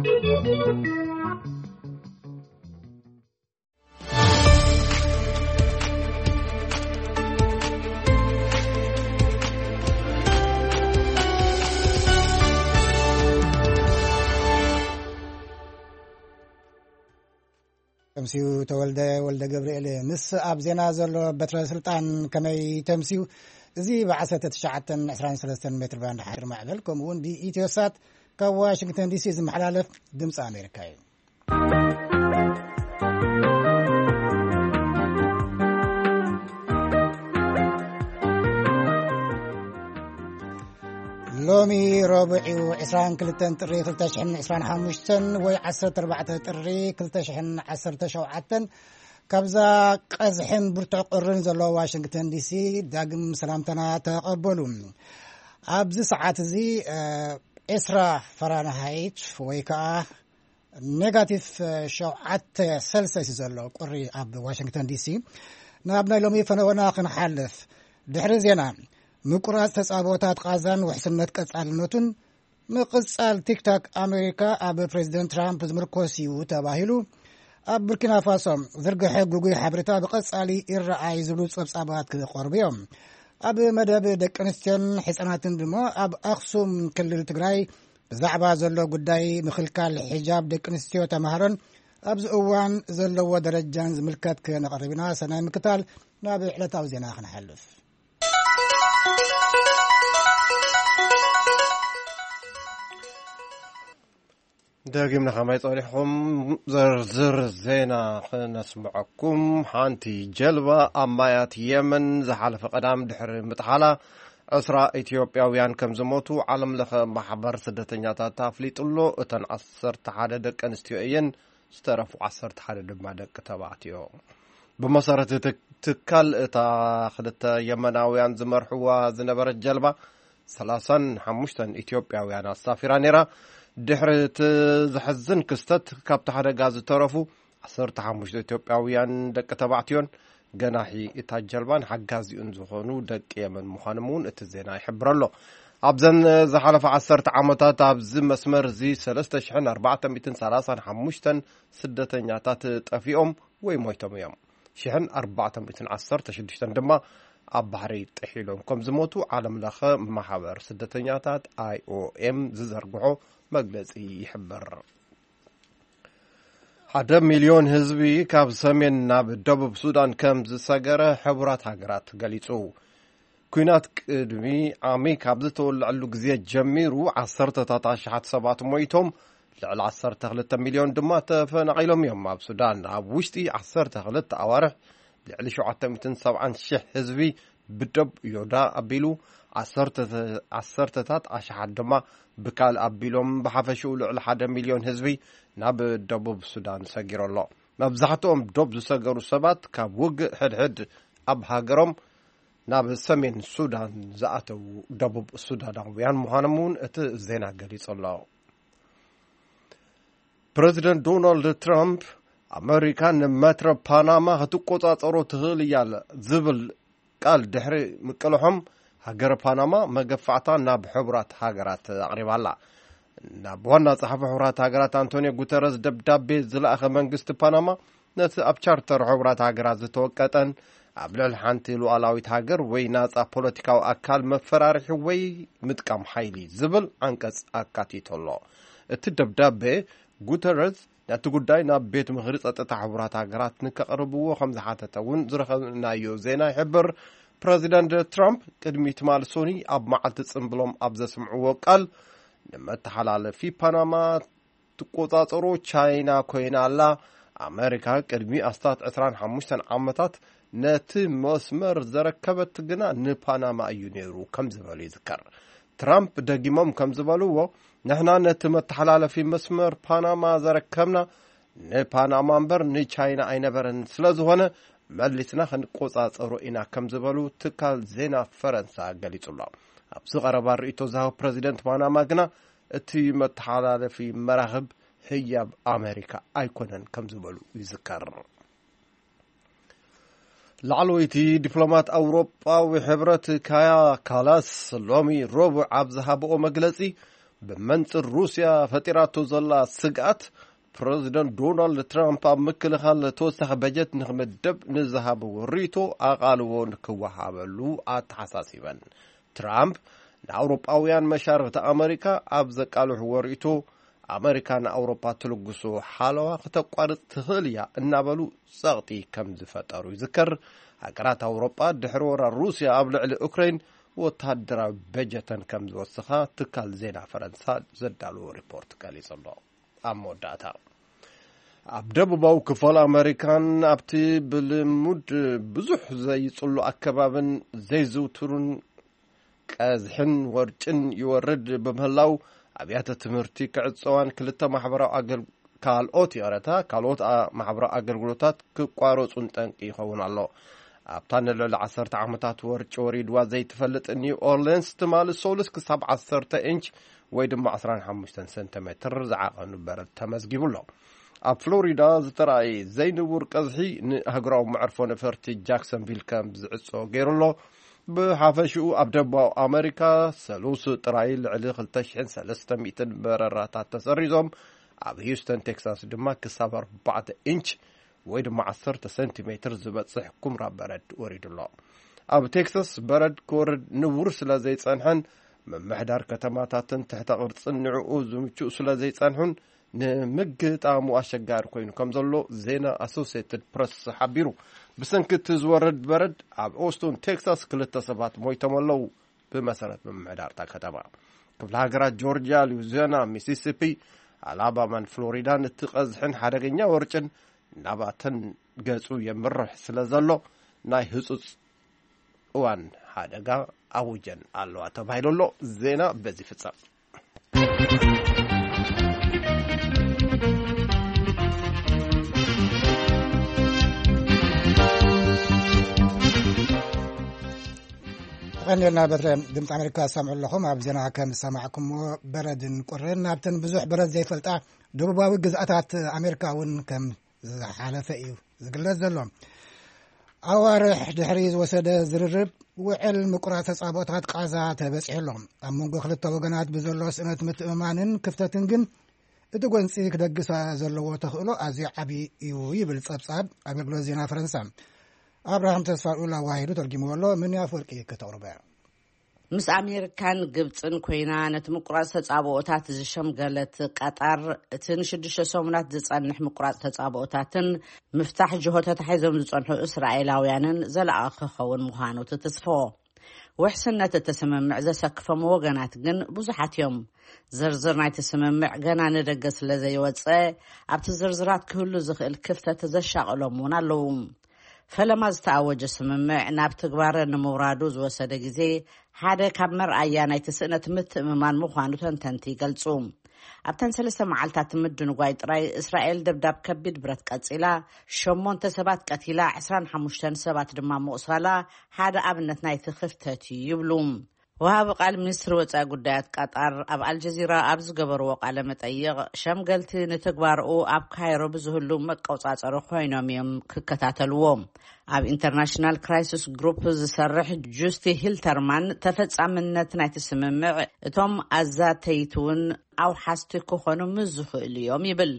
ተምሲኡ ተወልደ ወልደ ገብርኤል። ምስ ኣብ ዜና ዘሎ በትረ ስልጣን ከመይ ተምሲኡ? እዚ ብ1923 ሜትር ባንድ ሓድር ማዕበል፣ ከምኡ እውን ብኢትዮሳት ካብ ዋሽንግተን ዲሲ ዝመሓላለፍ ድምፂ ኣሜሪካ እዩ። ሎሚ ረቡዕ እዩ፣ 22 ጥሪ 2025 ወይ 14 ጥሪ 2017። ካብዛ ቀዝሕን ብርቱዕ ቁርን ዘለዎ ዋሽንግተን ዲሲ ዳግም ሰላምታና ተቐበሉ። ኣብዚ ሰዓት እዚ እ፣ 20 ፈራንሃይት ወይ ከዓ ኔጋቲቭ 7 ሰልሰስ ዘሎ ቁሪ ኣብ ዋሽንግተን ዲሲ። ናብ ናይ ሎሚ ፈነወና ክንሓልፍ፣ ድሕሪ ዜና፣ ምቁራፅ ተፃብኦታት ቃዛን ውሕስነት ቀፃልነቱን፣ ምቕፃል ቲክታክ ኣሜሪካ ኣብ ፕሬዚደንት ትራምፕ ዝምርኮስ እዩ ተባሂሉ፣ ኣብ ቡርኪና ፋሶ ዝርግሐ ግጉይ ሓበሬታ ብቐፃሊ ይረኣይ ዝብሉ ፀብፃባት ክቐርቡ እዮም። ኣብ መደብ ደቂ ኣንስትዮን ሕፃናትን ድማ፣ ኣብ ኣኽሱም ክልል ትግራይ ብዛዕባ ዘሎ ጉዳይ ምኽልካል ሒጃብ ደቂ ኣንስትዮ ተምሃሮን ኣብዚ እዋን ዘለዎ ደረጃን ዝምልከት ክነቕርብ ኢና። ሰናይ ምክታል። ናብ ዕለታዊ ዜና ክንሓልፍ፣ ደጊምና ከማይ ጸኒሕኩም ዝርዝር ዜና ክነስምዐኩም። ሓንቲ ጀልባ ኣብ ማያት የመን ዝሓለፈ ቀዳም ድሕሪ ምጥሓላ ዕስራ ኢትዮጵያውያን ከም ዝሞቱ ዓለም ለኸ ማሕበር ስደተኛታት ኣፍሊጡ ኣሎ። እተን ዓሰርተ ሓደ ደቂ ኣንስትዮ እየን፣ ዝተረፉ ዓሰርተ ሓደ ድማ ደቂ ተባዕትዮ። ብመሰረት እቲ ትካል፣ እታ ክልተ የመናውያን ዝመርሕዋ ዝነበረት ጀልባ ሰላሳን ሓሙሽተን ኢትዮጵያውያን ኣሳፊራ ነይራ። ድሕሪ እቲ ዘሕዝን ክስተት፣ ካብቲ ሓደጋ ዝተረፉ ዓሰርተ ሓሙሽተ ኢትዮጵያውያን ደቂ ተባዕትዮን ገናሒ እታ ጀልባን ሓጋዚኡን ዝኾኑ ደቂ የመን ምዃኖም እውን እቲ ዜና ይሕብር ኣሎ። ኣብዘን ዝሓለፈ ዓሰርተ ዓመታት ኣብዚ መስመር እዚ ሰለስተ ሽሕን ኣርባዕተ ሚእትን ሰላሳን ሓሙሽተን ስደተኛታት ጠፊኦም ወይ ሞይቶም እዮም። ሽሕን ኣርባዕተ ሚእትን ዓሰርተ ሽዱሽተን ድማ ኣብ ባሕሪ ጥሒሎም ከም ዝሞቱ ዓለም ለኸ ማሕበር ስደተኛታት፣ ኣይኦኤም፣ ዝዘርግሖ መግለጺ ይሕብር። ሓደ ሚልዮን ህዝቢ ካብ ሰሜን ናብ ደቡብ ሱዳን ከም ዝሰገረ ሕቡራት ሃገራት ገሊጹ። ኲናት ቅድሚ ዓሚ ካብ ዝተወልዐሉ ግዜ ጀሚሩ፣ ዓሰርተታት ኣሽሓት ሰባት ሞይቶም፣ ልዕሊ ዓሰርተ ክልተ ሚልዮን ድማ ተፈናቒሎም እዮም። ኣብ ሱዳን፣ ኣብ ውሽጢ ዓሰርተ ክልተ ኣዋርሕ፣ ልዕሊ ሸውዓተ ሚእትን ሰብዓን ሽሕ ህዝቢ ብደብ ዮዳ ኣቢሉ፣ ዓሰርተ፣ ዓሰርተታት ኣሽሓት ድማ ብካል ኣቢሎም፣ ብሓፈሽኡ ልዕሊ ሓደ ሚልዮን ህዝቢ ናብ ደቡብ ሱዳን ሰጊሩ ኣሎ። መብዛሕትኦም ዶብ ዝሰገሩ ሰባት፣ ካብ ውግእ ሕድሕድ ኣብ ሃገሮም ናብ ሰሜን ሱዳን ዝኣተዉ ደቡብ ሱዳናውያን ምዃኖም እውን እቲ ዜና ገሊጹ ኣሎ። ፕረዚደንት ዶናልድ ትራምፕ፣ ኣመሪካ ንመትረብ ፓናማ ክትቆጻጸሮ ትኽእል እያ ዝብል ቃል ድሕሪ ምቅልሖም፣ ሃገረ ፓናማ መገፋዕታ ናብ ሕቡራት ሃገራት ኣቕሪባ ኣላ። ናብ ዋና ጸሓፊ ሕቡራት ሃገራት ኣንቶኒዮ ጉተረዝ ደብዳቤ ዝለኣኸ መንግስቲ ፓናማ፣ ነቲ ኣብ ቻርተር ሕቡራት ሃገራት ዝተወቀጠን ኣብ ልዕሊ ሓንቲ ሉዓላዊት ሃገር ወይ ናጻ ፖለቲካዊ ኣካል መፈራርሒ ወይ ምጥቃም ሓይሊ ዝብል ዓንቀጽ ኣካቲቱ ኣሎ። እቲ ደብዳቤ፣ ጉተረዝ ነቲ ጉዳይ ናብ ቤት ምኽሪ ጸጥታ ሕቡራት ሃገራት ንከቕርብዎ ከም ዝሓተተ እውን ዝረኸብናዮ ዜና ይሕብር። ፕረዚደንት ትራምፕ ቅድሚ ትማሊ ሶኒ ኣብ መዓልቲ ጽምብሎም ኣብ ዘስምዕዎ ቃል፣ ንመተሓላለፊ ፓናማ ትቆጻጸሮ ቻይና ኮይና ኣላ። ኣመሪካ ቅድሚ ኣስታት ዕስራን ሓሙሽተን ዓመታት ነቲ መስመር ዘረከበት ግና ንፓናማ እዩ ነይሩ ከም ዝበሉ ይዝከር። ትራምፕ ደጊሞም ከም ዝበልዎ፣ ንሕና ነቲ መተሓላለፊ መስመር ፓናማ ዘረከብና ንፓናማ እምበር ንቻይና ኣይነበረን፣ ስለ ዝኾነ መሊስና ክንቆጻጸሮ ኢና ከም ዝበሉ ትካል ዜና ፈረንሳ ገሊጹ ኣሎ። ኣብዚ ቀረባ ርእይቶ ዝሃቡ ፕረዚደንት ፓናማ ግና፣ እቲ መተሓላለፊ መራኽብ ህያብ ኣመሪካ ኣይኮነን ከም ዝበሉ ይዝከር። ላዕለወይቲ ዲፕሎማት ኣውሮጳዊ ሕብረት ካያ ካላስ ሎሚ ረቡዕ ኣብ ዝሃብኦ መግለጺ፣ ብመንጽር ሩስያ ፈጢራቶ ዘላ ስግኣት፣ ፕረዚደንት ዶናልድ ትራምፕ ኣብ ምክልኻል ተወሳኺ በጀት ንኽምደብ ንዝሃብዎ ርእይቶ ኣቓልቦ ንክወሃበሉ ኣተሓሳሲበን። ትራምፕ ንኣውሮጳውያን መሻርኽቲ ኣመሪካ ኣብ ዘቃልሕዎ ርእይቶ፣ ኣመሪካ ንኣውሮጳ ትልግሶ ሓለዋ ክተቋርጽ ትኽእል እያ እናበሉ ጸቕጢ ከም ዝፈጠሩ ይዝከር። ሃገራት ኣውሮጳ ድሕሪ ወራር ሩስያ ኣብ ልዕሊ ኡክራይን ወተሃደራዊ በጀተን ከም ዝወስኻ ትካል ዜና ፈረንሳ ዘዳለዎ ሪፖርት ገሊጹ ኣሎ። ኣብ መወዳእታ፣ ኣብ ደቡባዊ ክፋል ኣመሪካን ኣብቲ ብልሙድ ብዙሕ ዘይጽሉ ኣከባብን ዘይዝውትሩን ቀዝሕን ወርጭን ይወርድ ብምህላው፣ ኣብያተ ትምህርቲ ክዕጸዋን ክልተ ማሕበራዊ ኣገል-፣ ካልኦት፣ ይቕረታ፣ ካልኦት ኣ-፣ ማሕበራዊ ኣገልግሎታት ክቋረጹን ጠንቂ ይኸውን ኣሎ። ኣብታ ንልዕሊ ዓሰርተ ዓመታት ወርጭ ወሪድዋ ዘይትፈልጥ ኒው ኦርሊንስ፣ ትማሊ ሶሉስ ክሳብ ዓሰርተ ኢንች ወይ ድማ ዕስራን ሓሙሽተን ሰንቲሜትር ዝዓቐኑ በረድ ተመዝጊቡ ኣሎ። ኣብ ፍሎሪዳ ዝተራእየ ዘይንቡር ቀዝሒ ንኣህጉራዊ መዕርፎ ነፈርቲ ጃክሰንቪል ከም ዝዕጾ ገይሩ ኣሎ። ብሓፈሽኡ ኣብ ደቡባዊ ኣመሪካ ሰሉስ ጥራይ ልዕሊ ክልተ ሽሕን ሰለስተ ሚእትን በረራታት ተሰሪዞም፣ ኣብ ሂውስተን ቴክሳስ ድማ ክሳብ ኣርባዕተ ኢንች ወይ ድማ ዓሰርተ ሰንቲሜትር ዝበጽሕ ኩምራ በረድ ወሪዱ ኣሎ። ኣብ ቴክሳስ በረድ ክወርድ ንቡር ስለ ዘይጸንሐን ምምሕዳር ከተማታትን ትሕተ ቅርጽን ንዕኡ ዝምችኡ ስለ ዘይጸንሑን ንምግጣሙ ኣሸጋሪ ኮይኑ ከም ዘሎ ዜና ኣሶሲየትድ ፕረስ ሓቢሩ። ብሰንኪ እቲ ዝወርድ በረድ ኣብ ኦስቶን ቴክሳስ ክልተ ሰባት ሞይቶም ኣለዉ። ብመሰረት ምምሕዳር እታ ከተማ፣ ክፍለ ሃገራት ጆርጅያ፣ ሉዊዚያና፣ ሚሲሲፒ፣ ኣላባማን ፍሎሪዳን እቲ ቀዝሕን ሓደገኛ ወርጭን ናባተን ገጹ የምርሕ ስለ ዘሎ፣ ናይ ህጹጽ እዋን ሓደጋ ኣውጀን ኣለዋ ተባሂሉ ኣሎ። ዜና በዚ ይፍጸም። ተቐኒልና በትረ ድምፂ ኣሜሪካ ዝሰምዑ ኣለኹም። ኣብ ዜና ከም ዝሰማዕኩምዎ፣ በረድን ቁርን ናብተን ብዙሕ በረድ ዘይፈልጣ ደቡባዊ ግዝኣታት ኣሜሪካ እውን ከም ዝሓለፈ እዩ ዝግለጽ ዘሎ። ኣዋርሕ ድሕሪ ዝወሰደ ዝርርብ፣ ውዕል ምቁራጽ ተጻብኦታት ቃዛ ተበጺሑ ኣሎ። ኣብ መንጎ ክልተ ወገናት ብዘሎ ስእነት ምትእምማንን ክፍተትን ግን፣ እቲ ጎንጺ ክደግሳ ዘለዎ ተኽእሎ ኣዝዩ ዓቢ እዩ ይብል ጸብጻብ ኣገልግሎት ዜና ፈረንሳ። ኣብርሃም ተስፋልኡል ኣዋሂዱ ተርጊምዎ ኣሎ። ምን ኣፍወርቂ ከተቕርቦ እያ። ምስ ኣሜሪካን ግብጽን ኮይና ነቲ ምቁራጽ ተጻብኦታት ዝሸምገለት ቀጠር፣ እቲ ንሽዱሽተ ሰሙናት ዝጸንሕ ምቁራጽ ተጻብኦታትን ምፍታሕ ጅሆ ተታሒዞም ዝጸንሑ እስራኤላውያንን ዘላቒ ክኸውን ምዃኑ ትትስፎ። ውሕስነት እቲ ስምምዕ ዘሰክፎም ወገናት ግን ብዙሓት እዮም። ዝርዝር ናይቲ ስምምዕ ገና ንደገ ስለ ዘይወጸ፣ ኣብቲ ዝርዝራት ክህሉ ዝኽእል ክፍተት ዘሻቕሎም እውን ኣለዉ። ፈለማ ዝተኣወጀ ስምምዕ ናብ ትግባረ ንምውራዱ ዝወሰደ ግዜ ሓደ ካብ መርኣያ ናይቲ ስእነት ምትእምማን ምዃኑ ተንተንቲ ይገልጹ። ኣብተን ሰለስተ መዓልታት ምድንጓይ ጥራይ፣ እስራኤል ደብዳብ ከቢድ ብረት ቀጺላ፣ ሸሞንተ ሰባት ቀቲላ፣ ዕስራን ሓሙሽተን ሰባት ድማ ምቑሳላ ሓደ ኣብነት ናይቲ ክፍተት እዩ ይብሉ። ወሃቢ ቃል ሚኒስትሪ ወጻኢ ጉዳያት ቀጣር ኣብ ኣልጀዚራ ኣብ ዝገበርዎ ቃለ መጠይቕ፣ ሸምገልቲ ንትግባርኡ ኣብ ካይሮ ብዝህሉ መቆጻጸሪ ኮይኖም እዮም ክከታተልዎ። ኣብ ኢንተርናሽናል ክራይሲስ ግሩፕ ዝሰርሕ ጁስቲ ሂልተርማን፣ ተፈጻምነት ናይቲ ስምምዕ እቶም ኣዛተይቲ እውን ኣውሓስቲ ክኾኑ ምስ ዝኽእሉ እዮም ይብል።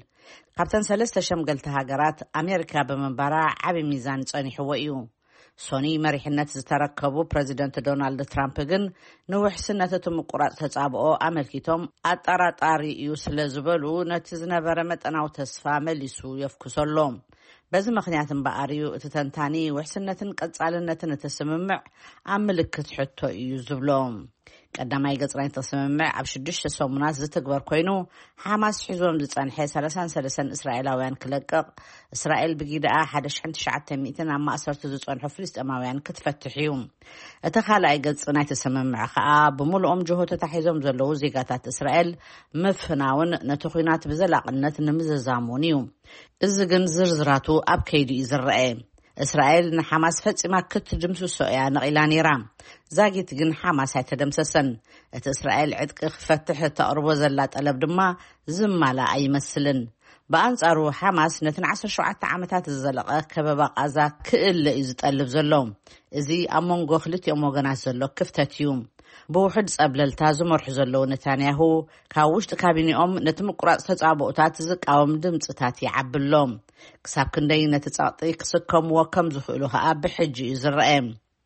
ካብተን ሰለስተ ሸምገልቲ ሃገራት ኣሜሪካ ብምንባራ ዓቢ ሚዛን ጸኒሕዎ እዩ። ሶኒ መሪሕነት ዝተረከቡ ፕረዚደንት ዶናልድ ትራምፕ ግን ንውሕስነት እቲ ምቁራጽ ተጻብኦ ኣመልኪቶም ኣጠራጣሪ እዩ ስለ ዝበሉ፣ ነቲ ዝነበረ መጠናዊ ተስፋ መሊሱ የፍኩሶ ኣሎ። በዚ ምኽንያት እምበኣር እዩ እቲ ተንታኒ ውሕስነትን ቀጻልነትን እቲ ስምምዕ ኣብ ምልክት ሕቶ እዩ ዝብሎ። ቀዳማይ ገጽ ናይቲ ስምምዕ ኣብ ሽዱሽተ ሰሙናት ዝትግበር ኮይኑ፣ ሓማስ ሒዞም ዝጸንሐ ሰላሳን ሰለስተን እስራኤላውያን ክለቅቕ፣ እስራኤል ብጊደኣ ሓደ ሽሕን ትሽዓተ ሚእትን ኣብ ማእሰርቲ ዝጸንሑ ፍልስጤማውያን ክትፈትሕ እዩ። እቲ ካልኣይ ገጽ ናይቲ ስምምዕ ከኣ፣ ብምሉኦም ጅሆ ተታሒዞም ዘለዉ ዜጋታት እስራኤል ምፍናውን ነቲ ኲናት ብዘላቕነት ንምዝዛሙን እዩ። እዚ ግን ዝርዝራቱ ኣብ ከይዲ እዩ ዝረአ። እስራኤል ንሓማስ ፈጺማ ክትድምስሶ እያ ነቒላ ነይራ። ዛጊት ግን ሓማስ ኣይተደምሰሰን። እቲ እስራኤል ዕጥቂ ክፈትሕ እተቕርቦ ዘላ ጠለብ ድማ ዝማላእ ኣይመስልን። ብኣንጻሩ፣ ሓማስ ነቲ ንዓሰርተ ሸውዓተ ዓመታት ዝዘለቐ ከበባ ቃዛ ክእለ እዩ ዝጠልብ ዘሎ። እዚ ኣብ መንጎ ክልቲኦም ወገናት ዘሎ ክፍተት እዩ። ብውሕድ ጸብለልታ ዝመርሑ ዘለዉ ነታንያሁ፣ ካብ ውሽጢ ካቢኔኦም ነቲ ምቁራጽ ተጻብኦታት ዝቃወም ድምጽታት ይዓቢ ኣሎ። ክሳብ ክንደይ ነቲ ጸቕጢ ክስከምዎ ከም ዝኽእሉ ከኣ ብሕጂ እዩ ዝረአ።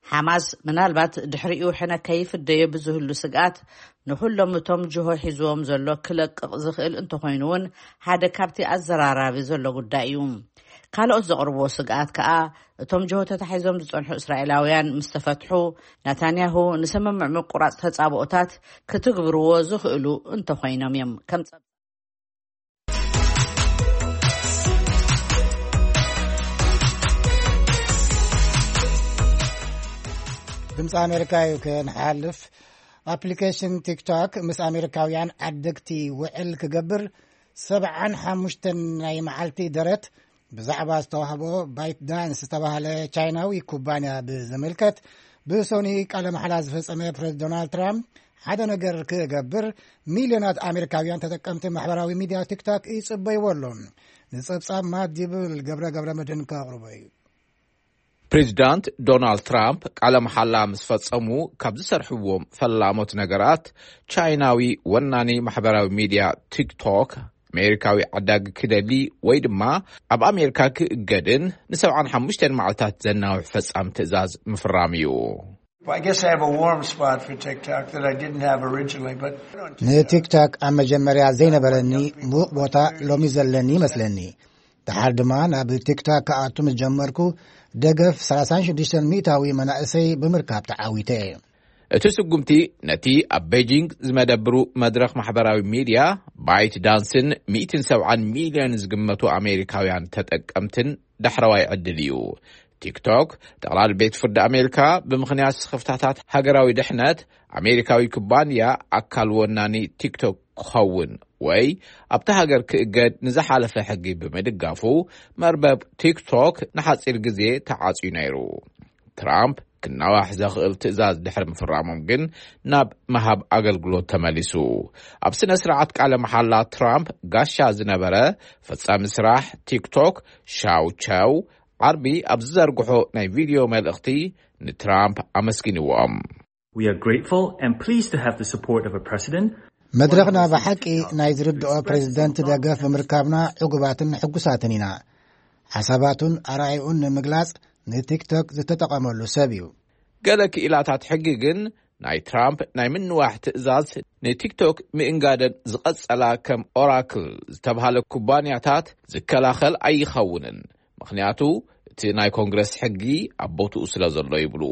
ሓማስ ምናልባት ድሕሪኡ ሕነ ከይፍደዮ ብዝህሉ ስግኣት፣ ንኹሎም እቶም ጅሆ ሒዝዎም ዘሎ ክለቅቕ ዝኽእል እንተኾይኑ እውን፣ ሓደ ካብቲ ኣዘራራቢ ዘሎ ጉዳይ እዩ። ካልኦት ዘቕርብዎ ስግኣት ከኣ፣ እቶም ጅሆ ተታሒዞም ዝጸንሑ እስራኤላውያን ምስ ተፈትሑ፣ ናታንያሁ ንስምምዕ ምቁራጽ ተጻብኦታት ክትግብርዎ ዝኽእሉ እንተኾይኖም እዮም። ከም ድምፂ ኣሜሪካ እዩ። ክንሓልፍ፣ ኣፕሊኬሽን ቲክቶክ ምስ ኣሜሪካውያን ዓደግቲ ውዕል ክገብር ሰብዓን ሓሙሽተን ናይ መዓልቲ ደረት ብዛዕባ ዝተዋህቦ ባይት ዳንስ ዝተባህለ ቻይናዊ ኩባንያ ብዝምልከት፣ ብሶኒ ቃለ መሓላ ዝፈጸመ ፕሬዝደንት ዶናልድ ትራምፕ፣ ሓደ ነገር ክገብር፣ ሚልዮናት ኣሜሪካውያን ተጠቀምቲ ማሕበራዊ ሚድያ ቲክቶክ ይጽበይዎ ኣለዉ። ንጸብጻብ ማት ዲብል ገብረ ገብረ መድህን ከቕርቦ እዩ። ፕሬዚዳንት ዶናልድ ትራምፕ ቃለ መሓላ ምስ ፈጸሙ፣ ካብ ዝሰርሕዎም ፈላሞት ነገራት፣ ቻይናዊ ወናኒ ማሕበራዊ ሚድያ ቲክቶክ፣ ኣሜሪካዊ ዓዳጊ ክደሊ ወይ ድማ ኣብ ኣሜሪካ ክእገድን ንሰብዓን ሓሙሽተን መዓልታት ዘናውሕ ፈጻሚ ትእዛዝ ምፍራም እዩ። Well, I guess I have a warm spot for TikTok that I didn't have originally, but ንቲክቶክ ኣብ መጀመርያ ዘይነበረኒ ምዉቕ ቦታ ሎሚ ዘለኒ ይመስለኒ። ደሓር ድማ ናብ ቲክቶክ ክኣቱ ምስ ጀመርኩ፣ ደገፍ ሰላሳን ሽዱሽተን ሚእታዊ መናእሰይ ብምርካብ ተዓዊተ። እቲ ስጉምቲ፣ ነቲ ኣብ ቤጂንግ ዝመደብሩ መድረኽ ማሕበራዊ ሚድያ ባይት ዳንስን ሚእትን ሰብዓን ሚልዮን ዝግመቱ ኣሜሪካውያን ተጠቀምትን ዳሕረዋይ ዕድል እዩ። ቲክቶክ፣ ጠቕላሊ ቤት ፍርዲ ኣሜሪካ ብምኽንያት ስኽፍታታት ሃገራዊ ድሕነት፣ ኣሜሪካዊ ኩባንያ ኣካል ወናኒ ቲክቶክ ክኸውን ወይ ኣብታ ሃገር ክእገድ ንዝሓለፈ ሕጊ ብምድጋፉ፣ መርበብ ቲክቶክ ንሓጺር ግዜ ተዓጽዩ ነይሩ። ትራምፕ ክናዋሕ ዘኽእል ትእዛዝ ድሕሪ ምፍራሞም ግን፣ ናብ ምሃብ ኣገልግሎት ተመሊሱ። ኣብ ስነ ስርዓት ቃለ መሓላ፣ ትራምፕ ጋሻ ዝነበረ ፈጻሚ ስራሕ ቲክቶክ ሻው ቻው፣ ዓርቢ ኣብ ዝዘርግሖ ናይ ቪድዮ መልእኽቲ፣ ንትራምፕ ኣመስጊንዎም። We are grateful and pleased to have the support of a president. መድረኽና ብሓቂ ናይ ዝርድኦ ፕሬዝደንት ደገፍ ብምርካብና ዕጉባትን ሕጉሳትን ኢና። ሓሳባቱን ኣራእዩን ንምግላጽ ንቲክቶክ ዝተጠቐመሉ ሰብ እዩ። ገለ ክኢላታት ሕጊ ግን፣ ናይ ትራምፕ ናይ ምንዋሕ ትእዛዝ ንቲክቶክ ምእንጋደን ዝቐጸላ፣ ከም ኦራክል ዝተብሃለ ኩባንያታት ዝከላኸል ኣይኸውንን። ምኽንያቱ፣ እቲ ናይ ኮንግረስ ሕጊ ኣብ ቦትኡ ስለ ዘሎ ይብሉ።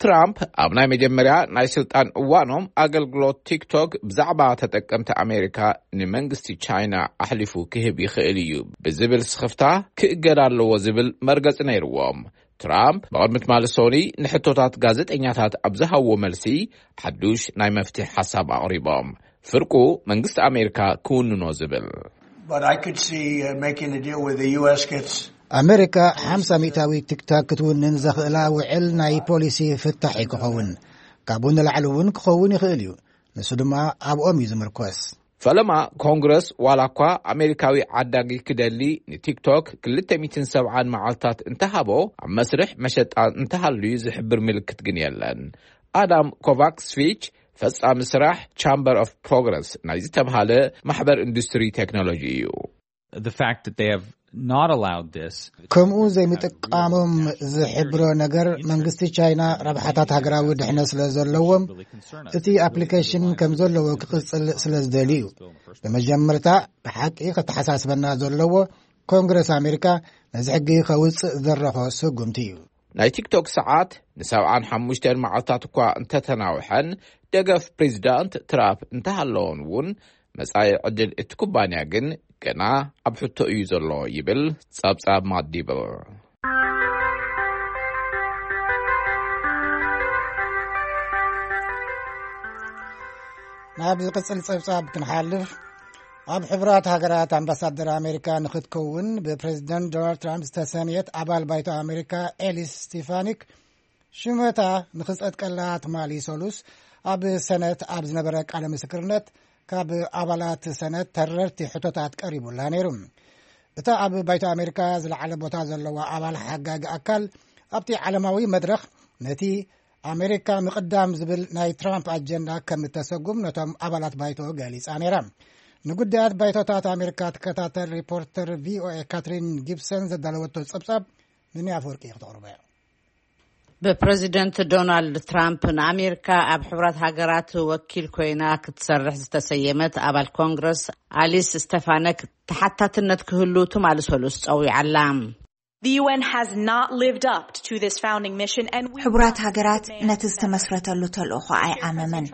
ትራምፕ ኣብ ናይ መጀመርያ ናይ ስልጣን እዋኖም፣ ኣገልግሎት ቲክቶክ ብዛዕባ ተጠቀምቲ ኣሜሪካ ንመንግስቲ ቻይና ኣሕሊፉ ክህብ ይኽእል እዩ ብዝብል ስኽፍታ፣ ክእገድ ኣለዎ ዝብል መርገጺ ነይርዎም። ትራምፕ ብቕድሚ ትማሊ ሶኒ ንሕቶታት ጋዜጠኛታት ኣብ ዝሃብዎ መልሲ፣ ሓዱሽ ናይ መፍትሒ ሓሳብ ኣቕሪቦም። ፍርቁ መንግስቲ ኣሜሪካ ክውንኖ ዝብል። But I could see, uh, making a deal where the U S gets ኣሜሪካ ሓምሳ ሚእታዊ ቲክቶክ ክትውንን ዘኽእላ ውዕል ናይ ፖሊሲ ፍታሕ እዩ ክኸውን። ካብኡ ንላዕሊ እውን ክኸውን ይኽእል እዩ። ንሱ ድማ ኣብኦም እዩ ዝምርኮስ። ፈለማ፣ ኮንግረስ ዋላ እኳ ኣሜሪካዊ ዓዳጊ ክደሊ ንቲክቶክ ክልተ ሚእትን ሰብዓን መዓልታት እንተሃቦ፣ ኣብ መስርሕ መሸጣ እንተሃልዩ ዝሕብር ምልክት ግን የለን። ኣዳም ኮቫክስቪች፣ ፈጻሚ ስራሕ ቻምበር ኦፍ ፕሮግረስ ናይ ዝተብሃለ ማሕበር ኢንዱስትሪ ቴክኖሎጂ እዩ። The fact that they have not allowed this ከምኡ ዘይምጥቃሞም ዝሕብሮ ነገር፣ መንግስቲ ቻይና ረብሓታት ሃገራዊ ድሕነት ስለ ዘለዎም፣ እቲ ኣፕሊኬሽን ከም ዘለዎ ክቕጽል ስለ ዝደልዩ እዩ። ብመጀመርታ፣ ብሓቂ ከተሓሳስበና ዘለዎ፣ ኮንግረስ ኣሜሪካ ነዚ ሕጊ ከውጽእ ዝደረኾ ስጉምቲ እዩ። ናይ ቲክቶክ ሰዓት ንሰብዓን ሓሙሽተን መዓልታት እኳ እንተተናውሐን፣ ደገፍ ፕሬዚዳንት ትራምፕ እንተሃለዎን እውን፣ መጻኢ ዕድል እቲ ኩባንያ ግን ገና ኣብ ሕቶ እዩ ዘሎ ይብል ጸብጻብ ማዲብል። ናብ ዝቕጽል ጸብጻብ ክንሓልፍ፣ ኣብ ሕቡራት ሃገራት ኣምባሳደር ኣሜሪካ ንኽትከውን ብፕሬዚደንት ዶናልድ ትራምፕ ዝተሰምየት ኣባል ባይቶ ኣሜሪካ ኤሊስ ስቴፋኒክ፣ ሽመታ ንኽጸድቀላ ትማሊ ሰሉስ ኣብ ሰነት ኣብ ዝነበረ ቃለ ምስክርነት፣ ካብ ኣባላት ሰነት ተረርቲ ሕቶታት ቀሪቡላ ነይሩ። እታ ኣብ ባይቶ ኣሜሪካ ዝለዓለ ቦታ ዘለዋ ኣባል ሓጋጊ ኣካል፣ ኣብቲ ዓለማዊ መድረኽ ነቲ ኣሜሪካ ምቕዳም ዝብል ናይ ትራምፕ ኣጀንዳ ከም እተሰጉም ነቶም ኣባላት ባይቶ ገሊጻ ነይራ። ንጉዳያት ባይቶታት ኣሜሪካ ትከታተል ሪፖርተር ቪ ኦ ኤ ካትሪን ጊብሰን ዘዳለወቶ ጸብጻብ ንንያ ኣፈወርቂ ክተቕርቦ እያ። ብፕረዚደንት ዶናልድ ትራምፕ ንኣሜሪካ ኣብ ሕቡራት ሃገራት ወኪል ኮይና ክትሰርሕ ዝተሰየመት ኣባል ኮንግረስ ኣሊስ ስቴፋነክ ተሓታትነት ክህሉ ትማሊ ሰሉስ ጸዊዓላ። The U N has not lived up to this founding mission, and we ሕቡራት ሃገራት ነቲ ዝተመስረተሉ ተልእኾ ኣይዓመመን።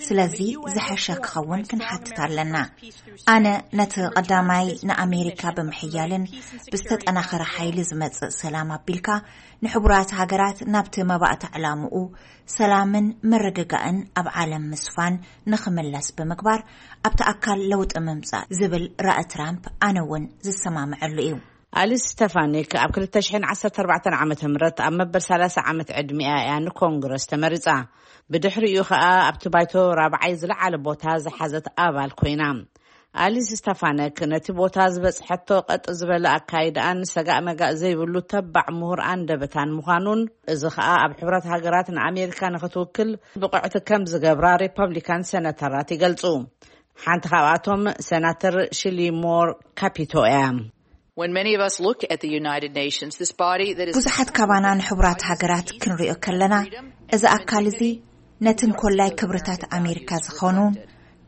ስለዚ ዝሐሸ ክኸውን ክንሓትት ኣለና። ኣነ ነቲ ቀዳማይ ንኣሜሪካ ብምሕያልን ብዝተጠናኸረ ሓይሊ ዝመጽእ ሰላም ኣቢልካ ንሕቡራት ሃገራት ናብቲ መባእታ ዕላምኡ ሰላምን ምርግጋእን ኣብ ዓለም ምስፋን ንኽምለስ ብምግባር ኣብቲ ኣካል ለውጢ ምምጻእ ዝብል ራኢ ትራምፕ ኣነ እውን ዝሰማምዐሉ እዩ። ኣሊስ ስቴፋኒክ ኣብ ክልተ ሽሕን ዓሰርተ ኣርባዕተን ዓመተ ምህረት ኣብ መበል ሰላሳ ዓመት ዕድሚኣ እያ ንኮንግረስ ተመሪጻ። ብድሕሪኡ ኸኣ ኣብቲ ባይቶ ራብዓይ ዝለዓለ ቦታ ዝሓዘት ኣባል ኮይና። ኣሊስ ስቴፋነክ ነቲ ቦታ ዝበጽሐቶ ቀጥ ዝበለ ኣካይዳኣን ሰጋእ መጋእ ዘይብሉ ተባዕ ምሁር ኣንደበታን ምዃኑን፣ እዚ ኸኣ ኣብ ሕብረት ሃገራት ንኣሜሪካ ንኽትውክል ብቕዕቲ ከም ዝገብራ ሪፐብሊካን ሴናተራት ይገልጹ። ሓንቲ ካብኣቶም ሴናተር ሽሊ ሞር ካፒቶ እያ። When many of us look at the United Nations, this body that is ብዙሓት ካባና ንሕቡራት ሃገራት ክንሪኦ ከለና፣ እዚ ኣካል እዚ ነቲ እንኮላይ ክብርታት ኣሜሪካ ዝኾኑ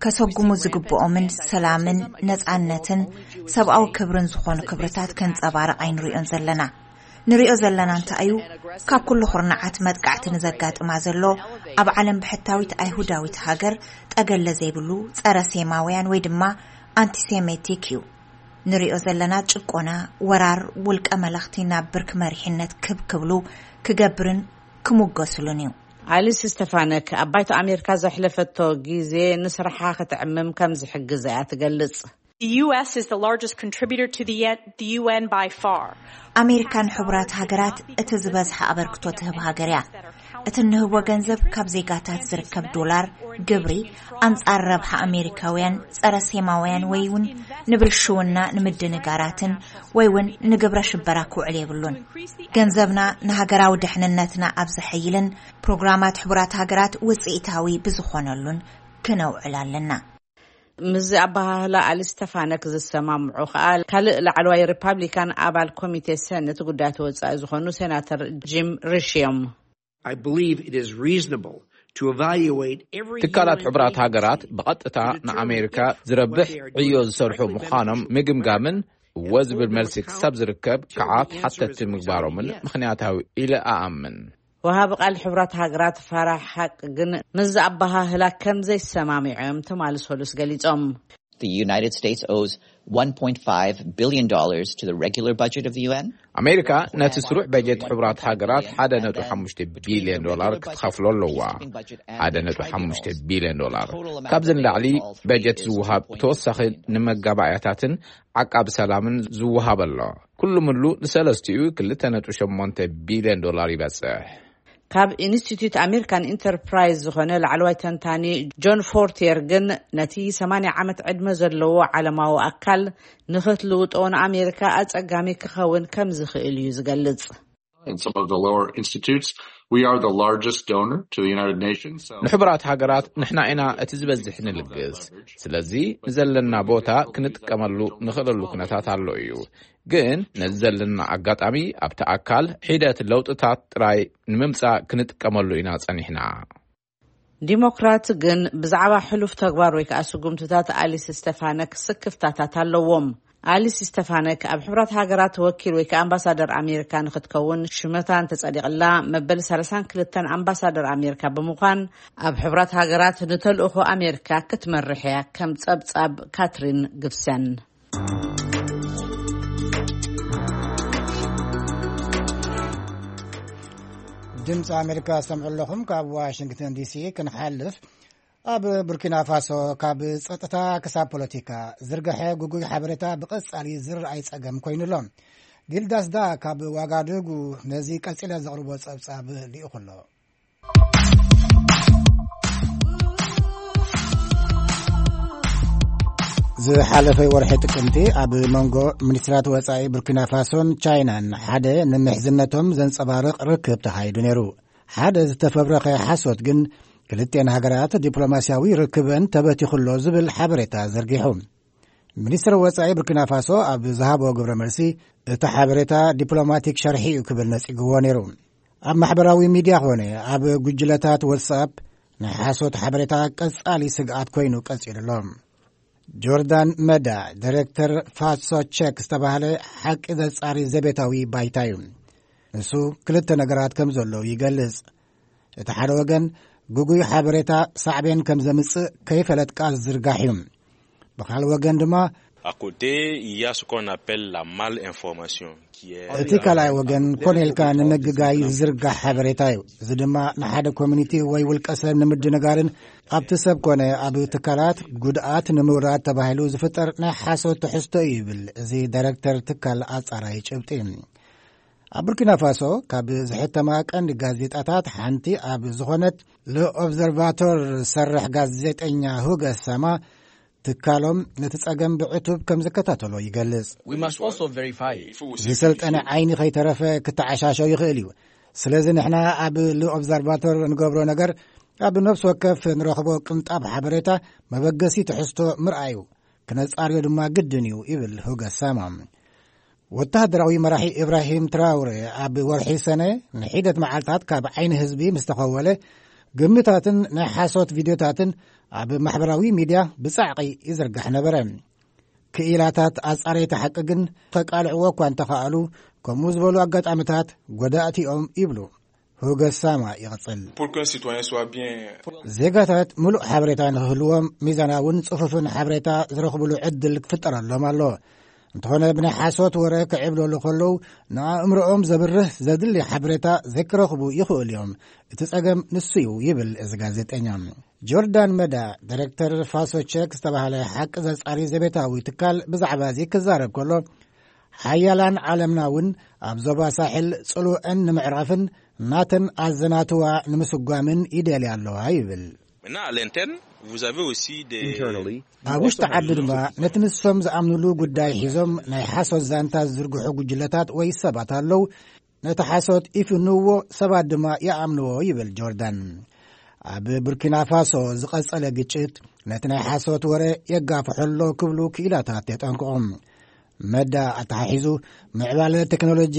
ከሰጉሙ ዝግብኦምን ሰላምን ነጻነትን ሰብኣዊ ክብርን ዝኾኑ ክብርታት ከንጸባርቕ ኣይንሪኦን ዘለና። ንሪኦ ዘለና እንታይ እዩ? ካብ ኩሉ ኩርናዓት መጥቃዕቲ ንዘጋጥማ ዘሎ ኣብ ዓለም ብሕታዊት ኣይሁዳዊት ሃገር ጠገለ ዘይብሉ ጸረ ሴማውያን ወይ ድማ ኣንቲሴሜቲክ እዩ። ንሪኦ ዘለና ጭቆና፣ ወራር፣ ውልቀ መለኽቲ ናብ ብርክ መሪሕነት ክብ ክብሉ ክገብርን ክሙገሱሉን እዩ። ኣሊስ ስቴፋነክ ኣብ ባይቶ ኣሜሪካ ዘሕለፈቶ ግዜ ንስርሓ ክትዕምም ከም ዝሕግዝ እያ ትገልጽ። The U S is the largest contributor to the, the U N by far. ኣሜሪካ ንሕቡራት ሃገራት እቲ ዝበዝሐ ኣበርክቶ ትህብ ሃገር እያ። እቲ እንህቦ ገንዘብ ካብ ዜጋታት ዝርከብ ዶላር፣ ግብሪ፣ ኣንጻር ረብሓ ኣሜሪካውያን፣ ጸረ ሴማውያን ወይ እውን ንብልሽውና ንምድንጋራትን ወይ እውን ንግብረ ሽበራ ክውዕል የብሉን። ገንዘብና ንሃገራዊ ድሕንነትና ኣብ ዘሐይልን ፕሮግራማት ሕቡራት ሃገራት ውጽኢታዊ ብዝኾነሉን ክነውዕል ኣለና። ምስዚ ኣበሃህላ ኣሊስ ስቴፋነክ ዝሰማምዑ ከኣ ካልእ ላዕለዋይ ሪፓብሊካን ኣባል ኮሚቴ ሰነት ጉዳያት ወጻኢ ዝኾኑ ሴናተር ጂም ሪሽ እዮም። I believe it is reasonable to evaluate every ትካላት U N ሕቡራት agency ሃገራት ብቐጥታ that determines ንኣሜሪካ if ዝረብሕ what they are ዕዮ doing ዝሰርሑ directly ምዃኖም benefits ምግምጋምን እወ ዝብል መልሲ ክሳብ ዝርከብ ከዓ ተሓተቲ ምግባሮምን ምኽንያታዊ ኢለ ኣኣምን። ወሃቢ ቃል ሕቡራት ሃገራት ፋራህ ሓቅ ግን ምስዚ ኣበሃህላ ከም ዘይሰማምዑ እዮም ትማሊ ሰሉስ ገሊጾም። The United States owes one point five billion dollars to the regular budget of the U N. ኣሜሪካ ነቲ ስሩዕ በጀት ሕቡራት ሃገራት ሓደ ነጥቢ ሓሙሽተ ቢልዮን ዶላር ክትኸፍሎ ኣለዋ። ሓደ ነጥቢ ሓሙሽተ ቢልዮን ዶላር። ካብዚ ንላዕሊ በጀት ዝወሃብ ተወሳኺ ንመጋባእያታትን ዓቃብ ሰላምን ዝወሃብ ኣሎ። ኩሉ ምሉ ንሰለስቲኡ ክልተ ነጥቢ ሸሞንተ ቢልዮን ዶላር ይበጽሕ። ካብ ኢንስቲትዩት ኣሜሪካን ኢንተርፕራይዝ ዝኾነ ላዕለዋይ ተንታኒ ጆን ፎርቲየር ግን ነቲ ሰማንያ ዓመት ዕድመ ዘለዎ ዓለማዊ ኣካል ንኽትልውጦ ንኣሜሪካ ኣጸጋሚ ክኸውን ከም ዝኽእል እዩ ዝገልጽ። And some of the lower institutes, we are the largest donor to the United Nations. So ንሕቡራት ሃገራት ንሕና ኢና እቲ ዝበዝሕ ንልግስ። ስለዚ ንዘለና ቦታ ክንጥቀመሉ ንኽእለሉ ኩነታት ኣሎ እዩ። ግን ነዚ ዘለና ኣጋጣሚ ኣብቲ ኣካል ሒደት ለውጥታት ጥራይ ንምምጻእ ክንጥቀመሉ ኢና ጸኒሕና። ዲሞክራት ግን ብዛዕባ ሕሉፍ ተግባር ወይ ከኣ ስጉምትታት ኣሊስ ስቴፋነክ ስክፍታታት ኣለዎም። ኣሊስ ስቴፋነክ ኣብ ሕቡራት ሃገራት ወኪል ወይ ከኣ ኣምባሳደር ኣሜሪካ ንኽትከውን ሽመታ እንተጸዲቕላ፣ መበል ሰላሳን ክልተን ኣምባሳደር ኣሜሪካ ብምዃን ኣብ ሕቡራት ሃገራት ንተልእኾ ኣሜሪካ ክትመርሕ እያ ከም ጸብጻብ ካትሪን ግብሰን። ድምፂ ኣሜሪካ ዝሰምዑ ኣለኹም። ካብ ዋሽንግተን ዲሲ ክንሓልፍ፣ ኣብ ቡርኪና ፋሶ ካብ ጸጥታ ክሳብ ፖለቲካ ዝርግሐ ጉጉይ ሓበሬታ ብቐጻሊ ዝረኣይ ጸገም ኮይኑ ኣሎ። ጊልዳስ ዳ ካብ ዋጋዱጉ ነዚ ቀጺለ ዘቕርቦ ጸብጻብ ልኢኹ ኣሎ። ዝሓለፈ ወርሒ ጥቅምቲ ኣብ መንጎ ሚኒስትራት ወጻኢ ቡርኪና ፋሶን ቻይናን ሓደ ንምሕዝነቶም ዘንጸባርቕ ርክብ ተኻይዱ ነይሩ። ሓደ ዝተፈብረኸ ሓሶት ግን ክልቴን ሃገራት ዲፕሎማስያዊ ርክበን ተበቲኹ ኣሎ ዝብል ሓበሬታ ዘርጊሑ። ሚኒስትር ወጻኢ ቡርኪና ፋሶ ኣብ ዝሃቦ ግብረ መልሲ፣ እቲ ሓበሬታ ዲፕሎማቲክ ሸርሒ እዩ ክብል ነጺግዎ ነይሩ። ኣብ ማሕበራዊ ሚድያ ኾነ ኣብ ጉጅለታት ዋትስኣፕ ናይ ሓሶት ሓበሬታ ቀጻሊ ስግኣት ኮይኑ ቀጺሉ ኣሎ። ጆርዳን መዳ፣ ዲሬክተር ፋሶ ቸክ ዝተባህለ ሓቂ ዘጻሪ ዘቤታዊ ባይታ እዩ። ንሱ ክልተ ነገራት ከም ዘለዉ ይገልጽ። እቲ ሓደ ወገን ግጉይ ሓበሬታ ሳዕቤን ከም ዘምጽእ ከይፈለጥካ ዝዝርጋሕ እዩ። ብኻልእ ወገን ድማ À côté, il y a ce qu'on appelle la malinformation, qui est እቲ ካልኣይ ወገን ኮነ ኢልካ ንምግጋይ ዝዝርጋሕ ሓበሬታ እዩ። እዚ ድማ ንሓደ ኮሚኒቲ ወይ ውልቀ ሰብ ንምድንጋርን ኣብቲ ሰብ ኮነ ኣብ ትካላት ጉድኣት ንምውራድ ተባሂሉ ዝፍጠር ናይ ሓሶት ትሕዝቶ እዩ ይብል እዚ ዳይሬክተር ትካል ኣጻራይ ጭብጢ። ኣብ ቡርኪና ፋሶ ካብ ዝሕተማ ቀንዲ ጋዜጣታት ሓንቲ ኣብ ዝኾነት ለኦብዘርቫቶር ዝሰርሕ ጋዜጠኛ ሁገ ሳማ፣ ትካሎም ነቲ ጸገም ብዕቱብ ከም ዝከታተሎ ይገልጽ። We must also verify. ዝሰልጠነ ዓይኒ ከይተረፈ ክተዓሻሾ ይኽእል እዩ። ስለዚ ንሕና ኣብ ኦብዘርቫቶር እንገብሮ ነገር ኣብ ነፍሲ ወከፍ ንረኽቦ ቅንጣብ ሓበሬታ መበገሲ ትሕዝቶ ምርኣዩ፣ ክነጻርዮ ድማ ግድን እዩ ይብል ሁገ ሳማ። ወተሃደራዊ መራሒ ኢብራሂም ትራውሬ ኣብ ወርሒ ሰነ ንሒደት መዓልታት ካብ ዓይኒ ህዝቢ ምስ ተኸወለ፣ ግምታትን ናይ ሓሶት ቪድዮታትን ኣብ ማሕበራዊ ሚድያ ብጻዕቒ ይዝርጋሕ ነበረ። ክኢላታት ኣጻረይቲ ሓቂ ግን ከቃልዕዎ እኳ እንተኸኣሉ፣ ከምኡ ዝበሉ ኣጋጣሚታት ጎዳእቲ እዮም ይብሉ። ሁገ ሳማ ይቕጽል። Pour qu'un citoyen soit bien. ዜጋታት ምሉእ ሓበሬታ ንክህልዎም ሚዛናውን ጽፉፍን ሓበሬታ ዝረኽብሉ ዕድል ክፍጠረሎም ኣሎ። እንተኾነ ብናይ ሓሶት ወረ ክዕብለሉ ከለዉ ንኣእምሮኦም ዘብርህ ዘድሊ ሓበሬታ ዘይክረኽቡ ይኽእሉ እዮም። እቲ ጸገም ንሱ እዩ ይብል እዚ ጋዜጠኛ። ጆርዳን መዳ፣ ዳይሬክተር ፋሶ ቸክ ዝተባህለ ሓቂ ዘጻሪ ዘቤታዊ ትካል ብዛዕባ እዚ ክዛረብ ከሎ፣ ሓያላን ዓለምና እውን ኣብ ዞባ ሳሕል ጽልወአን ንምዕራፍን ናተን ኣዘናትዋ ንምስጓምን ይደልያ ኣለዋ ይብል። Maintenant, à l'interne, vous avez aussi des Internally, you ኣብ ውሽጢ also have ዓዲ ድማ ነቲ ንሶም ዝኣምኑሉ ጉዳይ ሒዞም ናይ ሓሶት ዛንታ ዝዝርግሑ ጉጅለታት ወይ ሰባት ኣለዉ። ነቲ ሓሶት ይፍንዎ፣ ሰባት ድማ ይኣምንዎ ይብል ጆርዳን። ኣብ ቡርኪና ፋሶ ዝቐጸለ ግጭት ነቲ ናይ ሓሶት ወረ የጋፍሖ ኣሎ ክብሉ ክኢላታት የጠንቅቑ። መዳ ኣተሓሒዙ፣ ምዕባለ ቴክኖሎጂ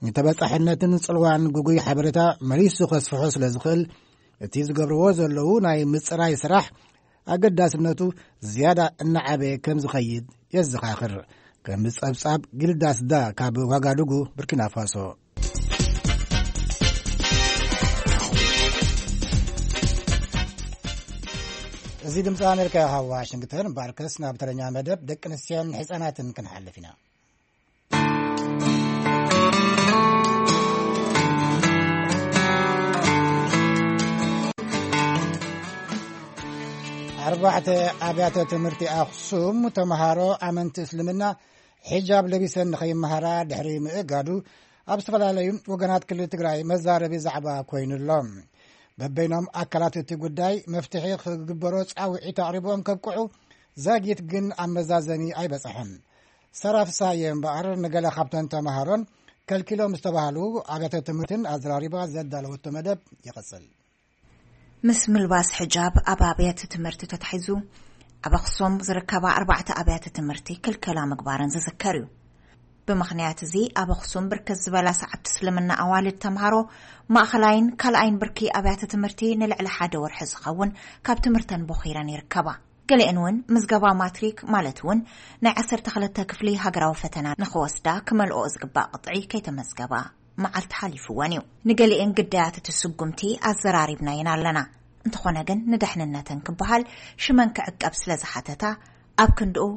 ንተበጻሕነትን ጽልዋን ግጉይ ሓበሬታ መሊሱ ከስፍሖ ስለ ዝኽእል፣ እቲ ዝገብርዎ ዘለዉ ናይ ምጽራይ ስራሕ ኣገዳስነቱ ዝያዳ እናዓበየ ከም ዝኸይድ የዘኻኽር። ከም ጸብጻብ ጊልዳስዳ ካብ ዋጋዱጉ ቡርኪና ፋሶ። እዚ ድምፂ ኣሜሪካ ካብ ዋሽንግተን። እምበኣርከስ ናብ ተረኛ መደብ ደቂ ኣንስትዮን ህፃናትን ክንሓልፍ ኢና። ኣርባዕተ ኣብያተ ትምህርቲ ኣኽሱም ተምሃሮ ኣመንቲ እስልምና ሒጃብ ለቢሰን ንኸይመሃራ ድሕሪ ምእጋዱ ኣብ ዝተፈላለዩ ወገናት ክልል ትግራይ መዛረቢ ዛዕባ ኮይኑ ኣሎ። በበይኖም ኣካላት እቲ ጉዳይ መፍትሒ ክግበሮ ጻውዒት ኣቕሪቦም ከብቅዑ ዛጊት ግን ኣብ መዛዘሚ ኣይበጽሐን። ሰራፍሳየ እምበኣር ንገለ ካብተን ተምሃሮን ከልኪሎም ዝተባህሉ ኣብያተ ትምህርትን ኣዘራሪባ ዘዳለወቶ መደብ ይቕጽል። ምስ ምልባስ ሕጃብ ኣብ ኣብያተ ትምህርቲ ተታሒዙ ኣብ ኣኽሱም ዝርከባ ኣርባዕተ ኣብያተ ትምህርቲ ክልከላ ምግባረን ዝዝከር እዩ። ብምኽንያት እዚ ኣብ ኣኽሱም ብርክት ዝበላ ሰዓብቲ እስልምና ኣዋልድ ተምሃሮ ማእኸላይን ካልኣይን ብርኪ ኣብያተ ትምህርቲ ንልዕሊ ሓደ ወርሒ ዝኸውን ካብ ትምህርተን ቦኺረን ይርከባ። ገሊአን እውን ምዝገባ ማትሪክ ማለት እውን ናይ ዓሰርተ ክልተ ክፍሊ ሃገራዊ ፈተና ንኽወስዳ ክመልኦ ዝግባእ ቅጥዒ ከይተመዝገባ መዓልቲ ሓሊፍወን እዩ። ንገሊአን ግዳያት እቲ ስጉምቲ ኣዘራሪብናየን ኣለና። እንተኾነ ግን ንደሕንነተን ክበሃል ሽመን ክዕቀብ ስለ ዝሓተታ ኣብ ክንድኡ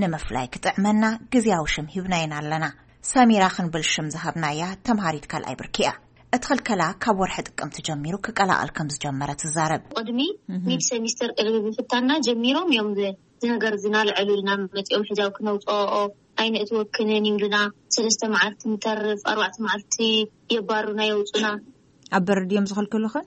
ንምፍላይ ክጥዕመና ግዝያዊ ሽም ሂብናየን ኣለና። ሰሚራ ክንብል ሽም ዝሃብናያ ተምሃሪት ካልኣይ ብርኪ እያ። እቲ ክልከላ ካብ ወርሒ ጥቅምቲ ጀሚሩ ክቀላቐል ከም ዝጀመረ ትዛረብ። ቅድሚ እህ። ሚድ ሰሚስተር ቅድሚ ምፍታንና ጀሚሮም እዮም ዝ-፣ እዚ ነገር እዚ ናልዕሉልና መፂኦም ሕጃብ ክነውፅኦ ኣይንእትወክንን ይብሉና። ሰለስተ መዓልቲ ንተርፍ፣ ኣርባዕተ መዓልቲ የባሩና የውፁና። ኣብ በሪ ድዮም ዝኸልክሉኽን?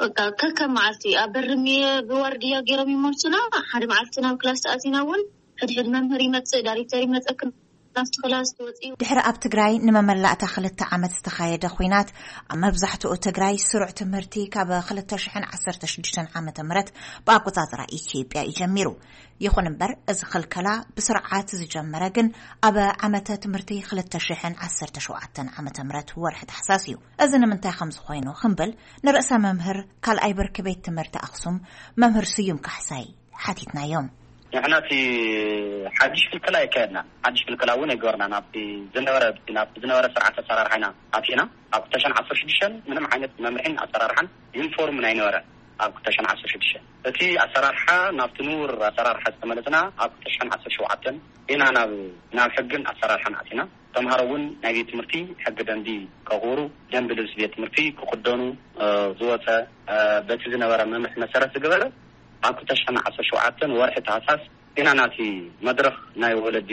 በቃ ከከም መዓልቲ ኣብ በሪ ሚ-፣ ብዋርድያ ገይሮም ይመልሱና። ሓደ መዓልቲ ናብ ክላስ ተኣቲና እውን ሕድሕድ መምህር ይመፅእ፣ ዳይሬክተር ይመፀክን ናብቲ ክላስ ትወፅኡ። ድሕሪ ኣብ ትግራይ ንመመላእታ ክልተ ዓመት ዝተኻየደ ኹናት፣ ኣብ መብዛሕትኡ ትግራይ ስሩዕ ትምህርቲ ካብ ክልተ ሽሕን ዓሰርተ ሽዱሽተን ዓመተ ምህረት ብኣቆፃፅራ ኢትዮጵያ እዩ ጀሚሩ። ይኹን እምበር፣ እዚ ክልከላ ብስርዓት ዝጀመረ ግን ኣብ ዓመተ ትምህርቲ ክልተ ሽሕን ዓሰርተ ሸውዓተን ዓመተ ምህረት ወርሒ ታሕሳስ እዩ። እዚ ንምንታይ ከም ዝኾይኑ ክንብል ንርእሰ መምህር ካልኣይ ብርኪ ቤት ትምህርቲ ኣኽሱም መምህር ስዩም ካሕሳይ ሓቲትናዮም። ንሕና እቲ ሓድሽ ክልከላ የካየድና። ሓድሽ ክልከላ እውን ኣይገበርና። ናብቲ ዝነበረ ናብቲ ዝነበረ ስርዓት ኣሰራርሓ ኢና ኣቲና። ኣብ ክልተ ሽሕን ዓሰርተ ሽዱሽተን ምንም ዓይነት መምርሒን ኣሰራርሓን ዩኒፎርም ኣይነበረ። ኣብ ክልተ ሽሕን ዓሰርተ ሽዱሽተን እቲ ኣሰራርሓ ናብቲ ንቡር ኣሰራርሓ ዝተመለስና ኣብ ክልተ ሽሕን ዓሰርተ ሸውዓተን ኢና ናብ ናብ ሕግን ኣሰራርሓን ኣቲና። ተምሃሮ እውን ናይ ቤት ትምህርቲ ሕጊ ደንቢ ከኽብሩ፣ ደንቢ ልብሲ ቤት ትምህርቲ ክኽደኑ፣ እ፣ ዝወፀ፣ እ፣ በቲ ዝነበረ መምርሒ መሰረት ዝገበረ ኣብ ክልተ ሽሕን ዓሰርተ ሸውዓተን ወርሒ ታህሳስ ኢና ናቲ መድረኽ ናይ ወለዲ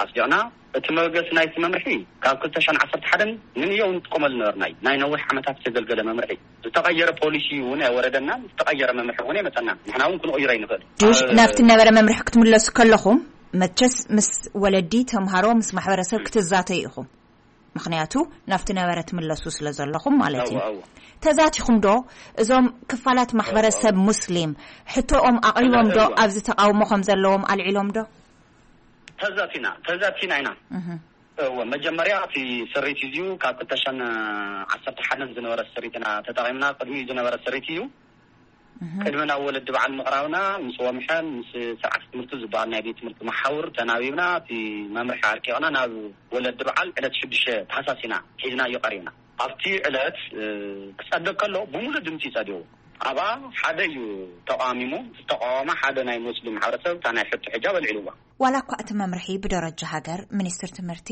ኣስዲቕና። እቲ መበገሲ ናይቲ መምርሒ ካብ ክልተ ሽሕን ዓሰርተ ሓደን ንንየው ንጥቀመሉ ነበርና እዩ። ናይ ነዊሕ ዓመታት ዘገልገለ መምርሒ። ዝተቐየረ ፖሊሲ እውን ኣይወረደናን፣ ዝተቐየረ መምርሒ እውን ኣይመፀናን። ንሕና እውን ክንቕይሮ ኣይንኽእል። ድሽ ኣብ ናብቲ ነበረ መምርሒ ክትምለሱ ከለኹም፣ መቸስ ምስ ወለዲ፣ ተምሃሮ፣ ምስ ማሕበረሰብ ክትዛተዩ ኢኹም። ምኽንያቱ ናብቲ ነበረ ትምለሱ ስለ ዘለኹም ማለት እዩ። እወ፣ እወ። ተዛቲኹም ዶ? እዞም ክፋላት ማሕበረሰብ ሙስሊም ሕቶኦም ኣቕሪቦም ዶ? እወ። ኣብዚ ተቃውሞ ከም ዘለዎም ኣልዒሎም ዶ? ተዛቲና፣ ተዛቲና ኢና። እህ። እወ፣ መጀመርያ እቲ ስሪት እዩ ካብ ክልተ ሽሕን ዓሰርተ ሓደን ዝነበረ ስሪት ኢና ተጠቒምና። ቅድሚኡ ዝነበረ ስሪት እዩ። እህ። ቅድሚ ናብ ወለዲ በዓል ምቕራብና፣ ምስ ወምሐን ምስ ስርዓት ትምህርቲ ዝበሃል ናይ ቤት ትምህርቲ መሓውር ተናቢብና፣ እቲ መምርሒ ኣርቂቕና ናብ ወለዲ በዓል ዕለት ሽዱሽተ ታህሳስ ኢና ሒዝናዮ ቀሪብና። ኣብቲ ዕለት፣ እ፣ ክጸድቕ ከሎ፣ ብምሉእ ድምጺ ጸዲቑ። ኣብኣ ሓደ እዩ ተቓሚሙ። ዝተቓወመ ሓደ ናይ ሙስሊም ማሕበረሰብ፣ እታ ናይ ሕቶ ሕጃብ ኣልዒልዋ። ዋላ እኳ እቲ መምርሒ ብደረጃ ሃገር ሚኒስትሪ ትምህርቲ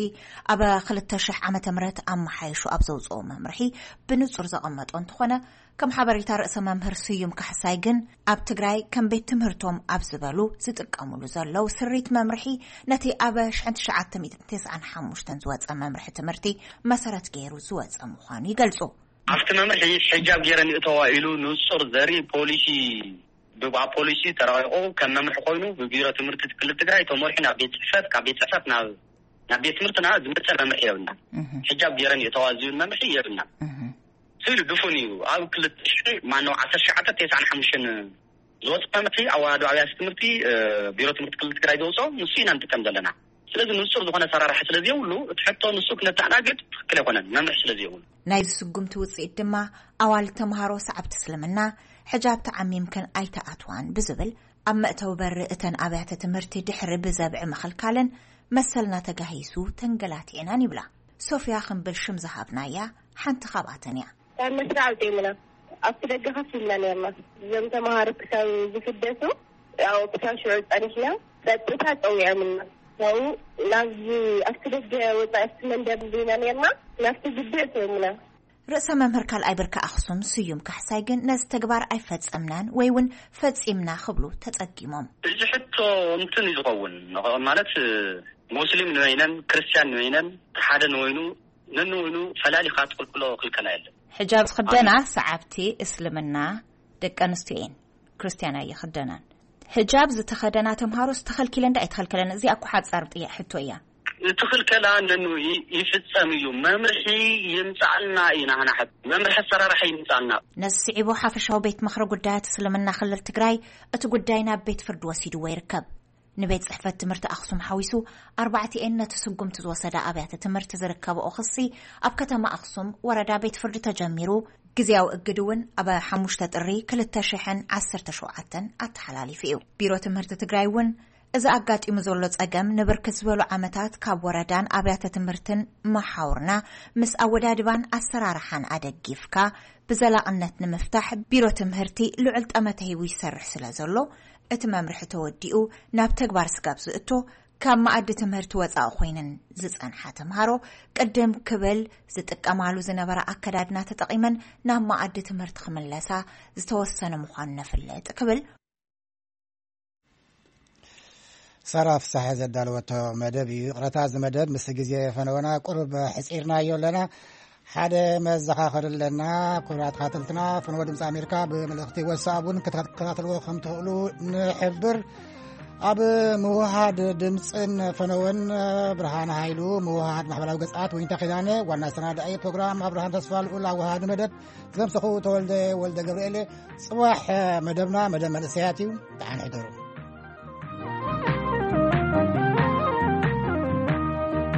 ኣብ ክልተ ሽሕ ዓመተ ምህረት ኣመሓይሹ ኣብ ዘውፅኦ መምርሒ ብንጹር ዘቐመጦ እንተኾነ፣ ከም ሓበሬታ ርእሰ መምህር ስዩም ካሕሳይ ግን፣ ኣብ ትግራይ ከም ቤት ትምህርቶም ኣብ ዝበሉ ዝጥቀሙሉ ዘለዉ ስሪት መምርሒ፣ ነቲ ኣብ ሽሕን ትሽዓተ ሚእትን ተስዓን ሓሙሽተን ዝወፀ መምርሒ ትምህርቲ መሰረት ገይሩ ዝወፀ ምዃኑ ይገልጹ። ኣብቲ መምርሒ ሕጃብ ገይረን ይእተዋ ኢሉ ንጹር ዘርኢ ፖሊሲ፣ ብ-፣ ኣብ ፖሊሲ ተረቂቑ ከም መምርሒ ኮይኑ ብቢሮ ትምህርቲ ክልል ትግራይ ተመሪሑ ናብ ቤት ጽሕፈት፣ ካብ ቤት ጽሕፈት ናብ፣ ናብ ቤት ትምህርትና ዝመጸ መምርሒ የብልና። እህ። ሕጃብ ገይረን ይእተዋ ዝብል መምርሒ የብልና። እህ። ስኢሉ ድፉን እዩ። ኣብ ክልተ ሽሕ፣ ማነው፣ ዓሰርተ ትሽዓተ ተስዓን ሓሙሽተን ዝወፀ መምርሒ ኣወሃዶ ኣብያተ ትምህርቲ፣ እ፣ ቢሮ ትምህርቲ ክልል ትግራይ ዘውፅኦ ንሱ ኢና ንጥቀም ዘለና። ስለዚ ንጹር ዝኾነ ኣሰራርሓ ስለ ዘይብሉ፣ እቲ ሕቶ ንሱ ክነተኣናግድ ትኽክል ኣይኮነን፣ መምርሒ ስለ ዘይብሉ። ናይዚ ስጉምቲ ውፅኢት ድማ፣ ኣዋልድ ተምሃሮ ሰዓብቲ እስልምና ሕጃብ ተዓሚምክን ኣይተኣትዋን ብዝብል፣ ኣብ መእተዊ በሪ እተን ኣብያተ ትምህርቲ ድሕሪ ብዘብዒ ምኽልካለን መሰልና ተጋሂሱ ተንገላቲዕናን ይብላ። ሶፍያ ክንብል ሽም ዝሃብናያ ሓንቲ ካብኣተን እያ። ካብ መስርዕ ኣውፂኦምና፣ ኣብቲ ደገ ከፍ ኢልና ነርና። እዞም ተምሃሮ ክሳብ ዝፍደሱ፣ ያው ክሳብ ሽዑ ጸኒሕና፣ ጸጥታ ጸዊዖምና። ያው ናብዚ ኣብቲ ደገ ወጻኢ ኣብቲ መንደር እንዲና ነርና፣ ናብቲ ግቢ ኣእተዮምና። ርእሰ መምህር ካልኣይ ብርኪ ኣኽሱም ስዩም ካሕሳይ ግን ነዚ ተግባር ኣይፈጸምናን ወይ እውን ፈጺምና ክብሉ ተጸጊሞም። እዚ ሕቶ እንትን እዩ ዝኸውን፣ ማለት ሙስሊም ንበይነን ክርስቲያን ንበይነን ሓደ ንበይኑ ነንበይኑ ፈላሊኻ ትኽልክሎ ክልከላ የለን። ሕጃብ ዝኽደና ሰዓብቲ እስልምና ደቂ ኣንስትዮ እየን፣ ክርስትያን ኣይኽደናን። ሕጃብ ዝተኸደና ተምሃሮስ ተኸልኪለን ዶ ኣይተኸልከለን? እዚኣ እኮ ሓጻር ጥያ-፣ ሕቶ እያ። እቲ ክልከላ ነንኡ ይ-፣ ይፍጸም እዩ። መምርሒ ይምጻእልና እዩ ናህና ሕቶ። መምርሒ ኣሰራርሓ ይምጻእልና። ነዚ ስዒቡ ሓፈሻዊ ቤት ምኽሪ ጉዳያት እስልምና ክልል ትግራይ እቲ ጉዳይ ናብ ቤት ፍርዲ ወሲድዎ ይርከብ። ንቤት ጽሕፈት ትምህርቲ ኣኽሱም ሓዊሱ ኣርባዕቲኤን ነቲ ስጉምቲ ዝወሰዳ ኣብያተ ትምህርቲ ዝርከብኦ ክሲ ኣብ ከተማ ኣኽሱም ወረዳ ቤት ፍርዲ ተጀሚሩ፣ ግዝያዊ እግድ እውን ኣብ ሓሙሽተ ጥሪ ክልተ ሽሕን ዓሰርተ ሸውዓተን ኣተሓላሊፉ እዩ። ቢሮ ትምህርቲ ትግራይ እውን እዚ ኣጋጢሙ ዘሎ ጸገም ንብርክት ዝበሉ ዓመታት ካብ ወረዳን ኣብያተ ትምህርትን መሓውርና ምስ ኣወዳድባን ኣሰራርሓን ኣደጊፍካ ብዘላቕነት ንምፍታሕ ቢሮ ትምህርቲ ልዑል ጠመተ ሂቡ ይሰርሕ ስለ ዘሎ፣ እቲ መምርሒ ተወዲኡ ናብ ተግባር ስጋብ ዝእቶ፣ ካብ መኣዲ ትምህርቲ ወጻኢ ኮይነን ዝጸንሓ ተምሃሮ፣ ቅድም ክብል ዝጥቀማሉ ዝነበራ ኣከዳድና ተጠቒመን ናብ መኣዲ ትምህርቲ ክምለሳ ዝተወሰነ ምዃኑ ነፍልጥ ክብል ሳራ ፍሳሐ ዘዳለወቶ መደብ እዩ። ይቕረታ፣ እዚ መደብ ምስ ግዜ ፈነወና ቁሩብ ሕጺርናዮ ኣለና። ሓደ መዘኻኸሪ ኣለና። ክቡራት ተኸታተልትና፣ ፈነወ ድምፂ ኣሜሪካ ብመልእኽቲ ዋትስኣፕ እውን ክትከታተልዎ ከም ትኽእሉ ንሕብር። ኣብ ምውሃድ ድምፅን ፈነወን ብርሃን ሃይሉ፣ ምውሃድ ማሕበራዊ ገፃት ወይንታ ኪዳነ፣ ዋና ኣሰናዳኢ ፕሮግራም ኣብርሃም ተስፋ ልኡል፣ ኣወሃዲ መደብ ዘምሰኹ ተወልደ ወልደ ገብርኤል። ፅባሕ መደብና መደብ መንእሰያት እዩ። ደሓን ሕደሩ።